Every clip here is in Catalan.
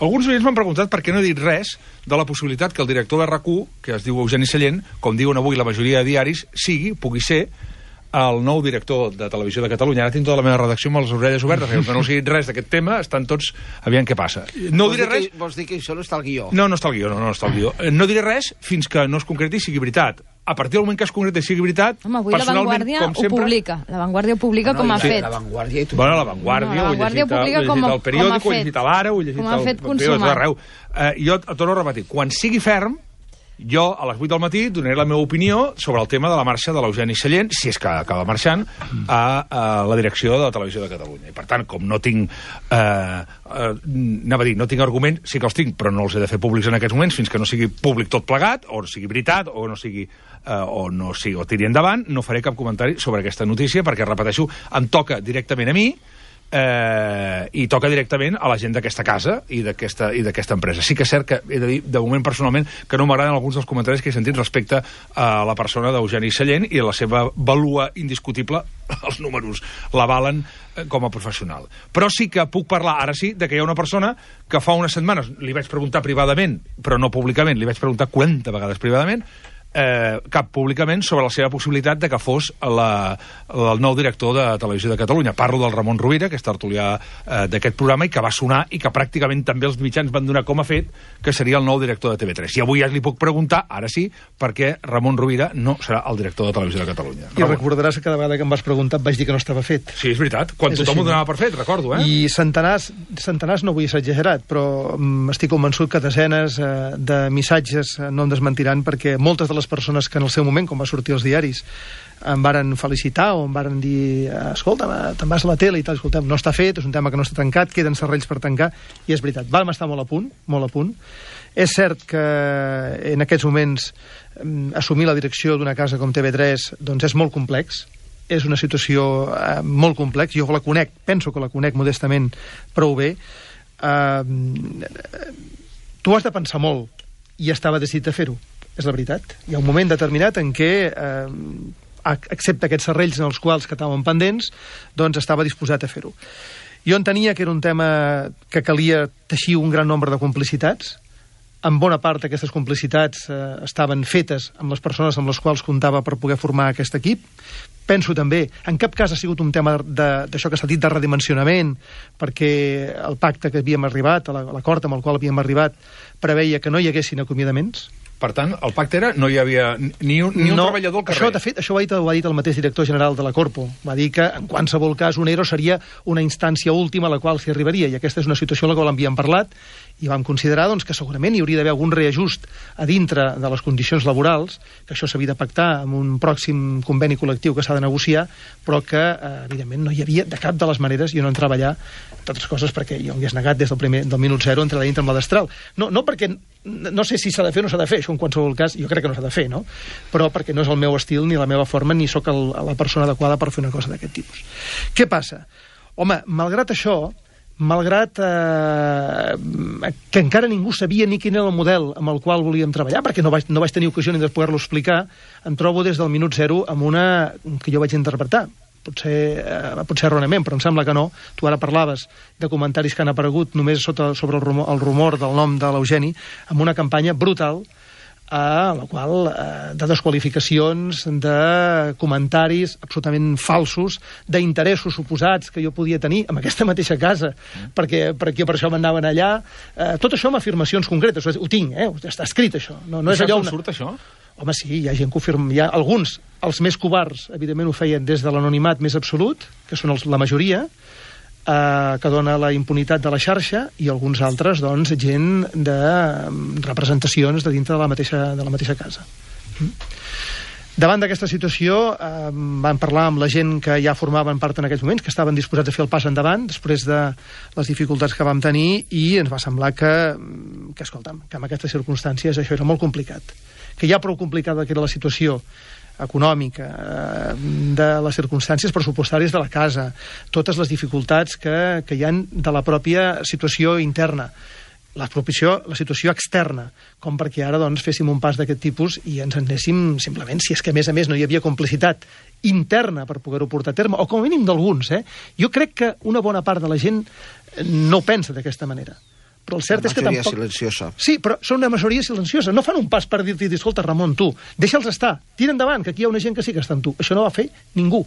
Alguns oients m'han preguntat per què no he dit res de la possibilitat que el director de RAC1, que es diu Eugeni Sallent, com diuen avui la majoria de diaris, pugui ser el nou director de Televisió de Catalunya. Ara tinc tota la meva redacció amb les orelles obertes, que no sigui res d'aquest tema, estan tots aviam què passa. No diré res... Vols dir que això no està al guió? No està al guió, no està al guió. No diré res fins que no es concreti i sigui veritat. A partir del moment que es concreti i sigui veritat... Home, avui La Vanguardia ho publica. La Vanguardia ho publica com ha fet. La Vanguardia i tu. Bueno, La Vanguardia ho he llegit al periòdic, ho he llegit a l'Ara, ho he llegit al periòdic d'arreu. Jo et torno a repetir, quan sigui ferm, jo, a les 8 del matí, donaré la meva opinió sobre el tema de la marxa de l'Eugeni Sallent, si és que acaba marxant, a la direcció de la Televisió de Catalunya. I, per tant, com no tinc... no tinc argument, sí que els tinc, però no els he de fer públics en aquests moments fins que no sigui públic tot plegat, o sigui veritat, o no sigui... o tiri endavant, no faré cap comentari sobre aquesta notícia, perquè, repeteixo, em toca directament a mi, i toca directament a la gent d'aquesta casa i d'aquesta empresa. Sí que és cert que he de dir, de moment, personalment, que no m'agraden alguns dels comentaris que he sentit respecte a la persona d'Eugeni Sallent i a la seva vàlua indiscutible, els números l'avalen com a professional. Però sí que puc parlar, ara sí, de que hi ha una persona que fa unes setmanes li vaig preguntar privadament, però no públicament, li vaig preguntar 40 vegades privadament, cap públicament sobre la seva possibilitat de que fos el nou director de Televisió de Catalunya. Parlo del Ramon Rovira, que és tertulià d'aquest programa i que va sonar i que pràcticament també els mitjans van donar com a fet que seria el nou director de TV3. I avui ja li puc preguntar, ara sí, per què Ramon Rovira no serà el director de Televisió de Catalunya. I recordaràs que cada vegada que em vas preguntar vaig dir que no estava fet. Sí, és veritat. Quan tothom ho donava per fet, recordo, I centenars no vull ser exagerat, però estic convençut que desenes de missatges no em desmentiran, perquè moltes de les persones que en el seu moment, quan va sortir als diaris, em varen felicitar o em varen dir escolta, te'n vas a la tele i tal, escolta'm, no està fet, és un tema que no està tancat, queden serrells per tancar, i és veritat, vam estar molt a punt. És cert que en aquests moments assumir la direcció d'una casa com TV3 doncs és molt complex, és una situació molt complex, jo la conec, penso que la conec modestament prou bé. Tu has de pensar molt, i estava decidit a fer-ho. És la veritat. Hi ha un moment determinat en què, excepte aquests serrells en els quals que estaven pendents, doncs estava disposat a fer-ho. Jo entenia que era un tema que calia teixir un gran nombre de complicitats. En bona part aquestes complicitats estaven fetes amb les persones amb les quals comptava per poder formar aquest equip. Penso també, en cap cas ha sigut un tema d'això que s'ha dit de redimensionament, perquè el pacte que havíem arribat, l'acord amb el qual havíem arribat, preveia que no hi haguessin acomiadaments. Per tant, el pacte era no hi havia ni un treballador al carrer. Això, de fet, això ho ha dit el mateix director general de la Corpo. Va dir que, en qualsevol cas, un ERO seria una instància última a la qual s'hi arribaria, i aquesta és una situació en la qual havíem parlat, i vam considerar doncs, que segurament hi hauria d'haver algun reajust a dintre de les condicions laborals, que això s'havia de pactar amb un pròxim conveni col·lectiu que s'ha de negociar, però que, evidentment, no hi havia de cap de les maneres, jo no entrava allà, entre altres coses perquè jo m'hi has negat des del minut zero entre la dintre amb la destral. No perquè no sé si s'ha de fer o no s'ha de fer, això en qualsevol cas jo crec que no s'ha de fer, no? Però perquè no és el meu estil ni la meva forma, ni sóc la persona adequada per fer una cosa d'aquest tipus. Què passa? Home, malgrat això, malgrat que encara ningú sabia ni quin era el model amb el qual volíem treballar, perquè no vaig tenir ocasió ni de poder-lo explicar, em trobo des del minut zero amb una que jo vaig interpretar. Potser erròniament, però em sembla que no. Tu ara parlaves de comentaris que han aparegut només sobre el rumor del nom de l'Eugeni, amb una campanya brutal a la qual de desqualificacions, de comentaris absolutament falsos, d'interessos suposats que jo podia tenir en aquesta mateixa casa, perquè per això m'anaven allà. Tot això amb afirmacions concretes. Ho tinc, està escrit, això. No és allò surt, això? Home, sí, hi ha gent que ho firma. Hi ha alguns, els més covards, evidentment ho feien des de l'anonimat més absolut, que són la majoria, que dona la impunitat de la xarxa, i alguns altres, doncs, gent de representacions de dintre de la mateixa casa. Davant d'aquesta situació vam parlar amb la gent que ja formaven part en aquells moments, que estaven disposats a fer el pas endavant després de les dificultats que vam tenir, i ens va semblar que escolta'm, que en aquestes circumstàncies això era molt complicat, que ja prou complicada que era la situació econòmica, de les circumstàncies pressupostàries de la casa, totes les dificultats que hi ha de la pròpia situació interna, la situació externa, com perquè ara doncs, féssim un pas d'aquest tipus i ens anéssim simplement, si és que a més no hi havia complicitat interna per poder-ho portar a terme, o com a mínim d'alguns. Jo crec que una bona part de la gent no ho pensa d'aquesta manera, Però el cert és que tampoc... silenciosa. Sí, però són una majoria silenciosa. No fan un pas per dir-te, escolta, Ramon, tu, deixa'ls estar, tira endavant, que aquí hi ha una gent que sí que està amb tu. Això no va fer ningú.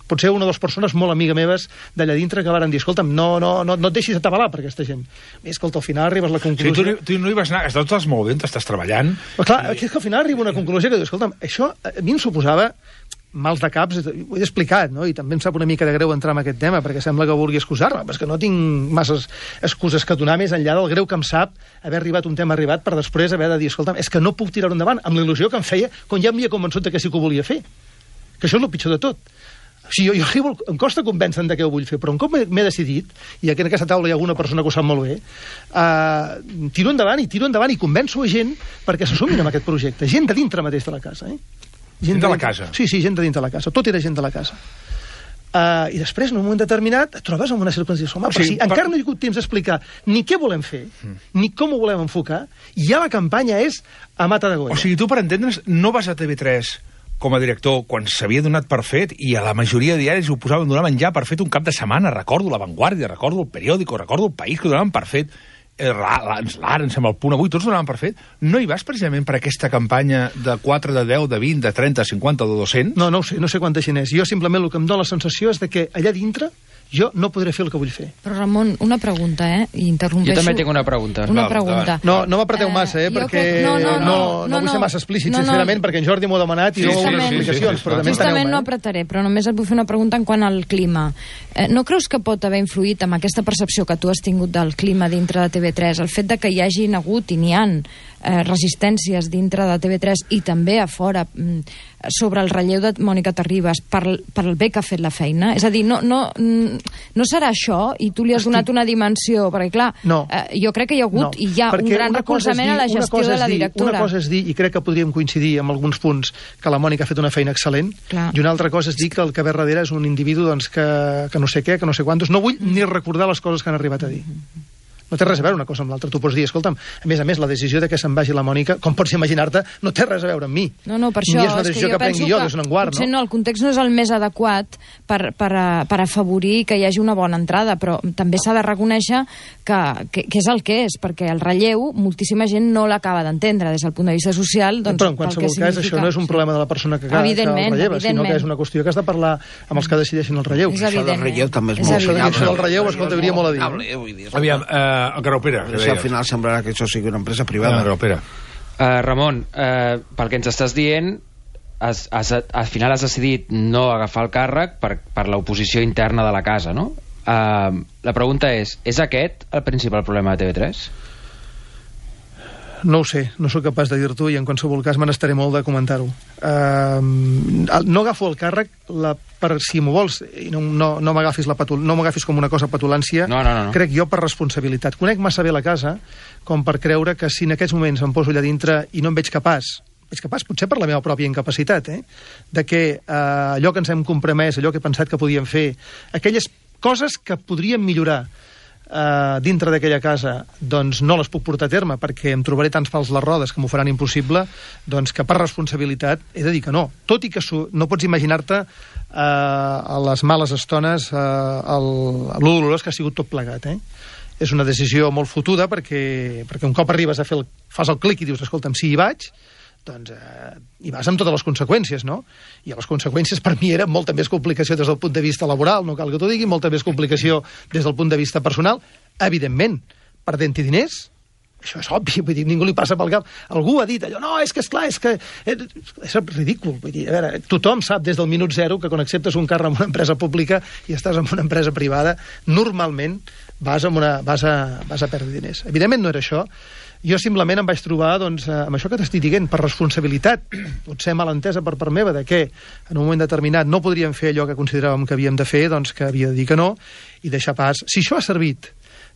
Potser una o dues persones molt amiga meves d'allà dintre que varen dir, escolta'm, no et deixis atabalar per aquesta gent. Escolta, al final arribes a la conclusió... Sí, tu no hi vas anar, estàs molt bé, t'estàs treballant... Però clar, és que al final arriba una conclusió que diu, escolta'm, això a mi em suposava mals de caps, ho he explicat, no? I també em sap una mica de greu entrar en aquest tema, perquè sembla que vulgui excusar-me, però és que no tinc masses excuses que donar més enllà del greu que em sap haver arribat un tema arribat per després haver de dir, escolta'm, és que no puc tirar-ho endavant, amb la il·lusió que em feia quan ja m'havia convençut que sí que ho volia fer. Que això és el pitjor de tot. O sigui, jo arribo, em costa convèncer de què ho vull fer, però un cop m'he decidit, i aquí en aquesta taula hi ha alguna persona que ho sap molt bé, tiro endavant i convenço a gent perquè s'assumin amb aquest projecte. Gent de dintre mateix de la casa, Gent de la casa? Sí, gent de dintre de la casa. Tot era gent de la casa. I després, en un moment determinat, et trobes en una circumstància. Home, però si encara no hi ha hagut temps d'explicar ni què volem fer, ni com ho volem enfocar, i ja la campanya és a mata de golla. O sigui, tu, per entendre's, no vas a TV3 com a director quan s'havia donat per fet i a la majoria de diaris ho donaven ja per fet un cap de setmana. Recordo La Vanguardia, recordo El Periódico, recordo El País, que ho donaven per fet. L'Ara, em sembla, El Punt Avui, tots ho donaven per fet. No hi vas precisament per aquesta campanya de 4, de 10, de 20, de 30, 50 o de 200? No ho sé, no sé quanta gent és. Jo simplement el que em dóna la sensació és de que allà dintre jo no podré fer el que vull fer. Però, Ramon, una pregunta, I interrompeixo. Jo també tinc una pregunta. Una pregunta. No m'apreteu massa, perquè no vull ser massa explícit, sincerament, perquè en Jordi m'ho ha demanat i no vull explicacions, però també justament no apretaré, però només et vull fer una pregunta en quant al clima. No creus que pot haver influït amb aquesta percepció que tu has tingut del clima dintre de TV3, el fet de que hi hagin hagut i n'hi han resistències dintre de TV3 i també a fora sobre el relleu de Mònica Terribas per el bé que ha fet la feina? És a dir, no serà això i tu li has donat una dimensió? Perquè, clar, jo crec que hi ha hagut i hi ha un gran recolzament a la gestió de la directora. Una cosa és dir, i crec que podríem coincidir en alguns punts, que la Mònica ha fet una feina excel·lent, i una altra cosa és dir que el que ve darrere és un individu que no sé què, que no sé quantos. No vull ni recordar les coses que han arribat a dir. No té res a veure una cosa amb l'altra. Tu pots dir, escolta'm, a més, la decisió de que se'n vagi la Mònica, com pots imaginar-te, no té res a veure amb mi. No, per això. Ni és una decisió que prengui jo, des d'un guard, potser no, el context no és el més adequat per afavorir que hi hagi una bona entrada, però també s'ha de reconèixer que és el que és, perquè el relleu, moltíssima gent no l'acaba d'entendre des del punt de vista social. Però en qualsevol cas, això no és un problema de la persona que el relleva, sinó que és una qüestió que has de parlar amb els que decideixen el relleu. Això del relleu també és molt final. Això del relleu, escolta, hauria molt a dir. Aviam, Graupera. Si al final semblarà que això sigui una empresa privada. Graupera. Ramon, pel que ens estàs dient, al final has decidit no agafar el càrrec per l'oposició interna de la casa, no? La pregunta és aquest el principal problema de TV3? No ho sé, no sóc capaç de dir-t'ho i en qualsevol cas me n'estaré molt de comentar-ho. No agafo el càrrec si m'ho vols, i no m'agafis com una cosa petulància. No. Crec jo per responsabilitat. Conec massa bé la casa com per creure que si en aquests moments em poso allà dintre i no em veig capaç, potser per la meva pròpia incapacitat, de que allò que ens hem compromès, allò que he pensat que podíem fer, aquelles coses que podríem millorar dintre d'aquella casa, doncs no les puc portar a terme perquè em trobaré tants pals les rodes que m'ho faran impossible, doncs que per responsabilitat he de dir que no. Tot i que no pots imaginar-te a les males estones lo dolorós que ha sigut tot plegat, És una decisió molt fotuda perquè un cop arribes a fas el clic i dius, escolta'm, si hi vaig, doncs hi vas amb totes les conseqüències, no? I les conseqüències per mi eren molta més complicació des del punt de vista laboral, no cal que t'ho digui, molta més complicació des del punt de vista personal, evidentment, perdent-hi diners, això és obvi, vull dir, ningú li passa pel cap. Algú ha dit allò, no, és que esclar, és ridícul, vull dir, a veure, tothom sap des del minut zero que quan acceptes un càrrec en una empresa pública i estàs en una empresa privada, normalment vas a perdre diners. Evidentment no era això. Jo simplement em vaig trobar amb això que t'estic dient, per responsabilitat, potser malentesa per part meva, de que en un moment determinat no podríem fer allò que consideràvem que havíem de fer, doncs que havia de dir que no, i deixar pas. Si això ha servit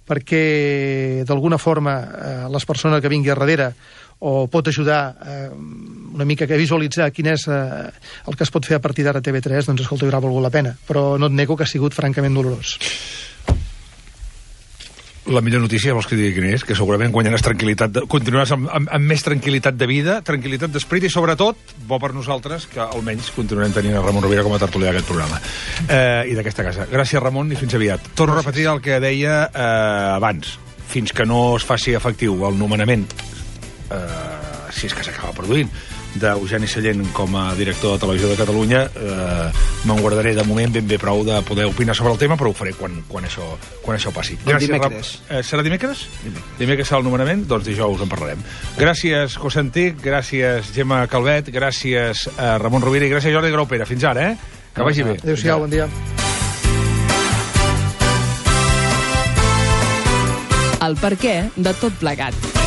perquè d'alguna forma les persones que vingui a darrere o pot ajudar una mica a visualitzar quin és el que es pot fer a partir d'ara a TV3, doncs escolta, haurà valgut la pena. Però no et nego que ha sigut francament dolorós. La millor notícia, vols que digui quina és? Que segurament guanyaràs tranquil·litat, continuaràs amb més tranquil·litat de vida, tranquil·litat d'esperit i, sobretot, bo per nosaltres, que almenys continuarem tenint a Ramon Rovira com a tertulià d'aquest programa i d'aquesta casa. Gràcies, Ramon, i fins aviat. Torno a repetir el que deia abans. fins que no es faci efectiu el nomenament, si és que s'acaba produint, d'Eugeni Sallent com a director de Televisió de Catalunya, me'n guardaré de moment ben bé prou de poder opinar sobre el tema, però ho faré quan això passi. Dimecres. Serà dimecres? Dimecres serà el nomenament? Doncs dijous en parlarem. Gràcies, José Antic, gràcies, Gemma Calvet, gràcies, Ramon Rovira, i gràcies, Jordi Graupera. Fins ara, Que vagi bé. Adéu-siau, bon dia. El perquè de tot plegat.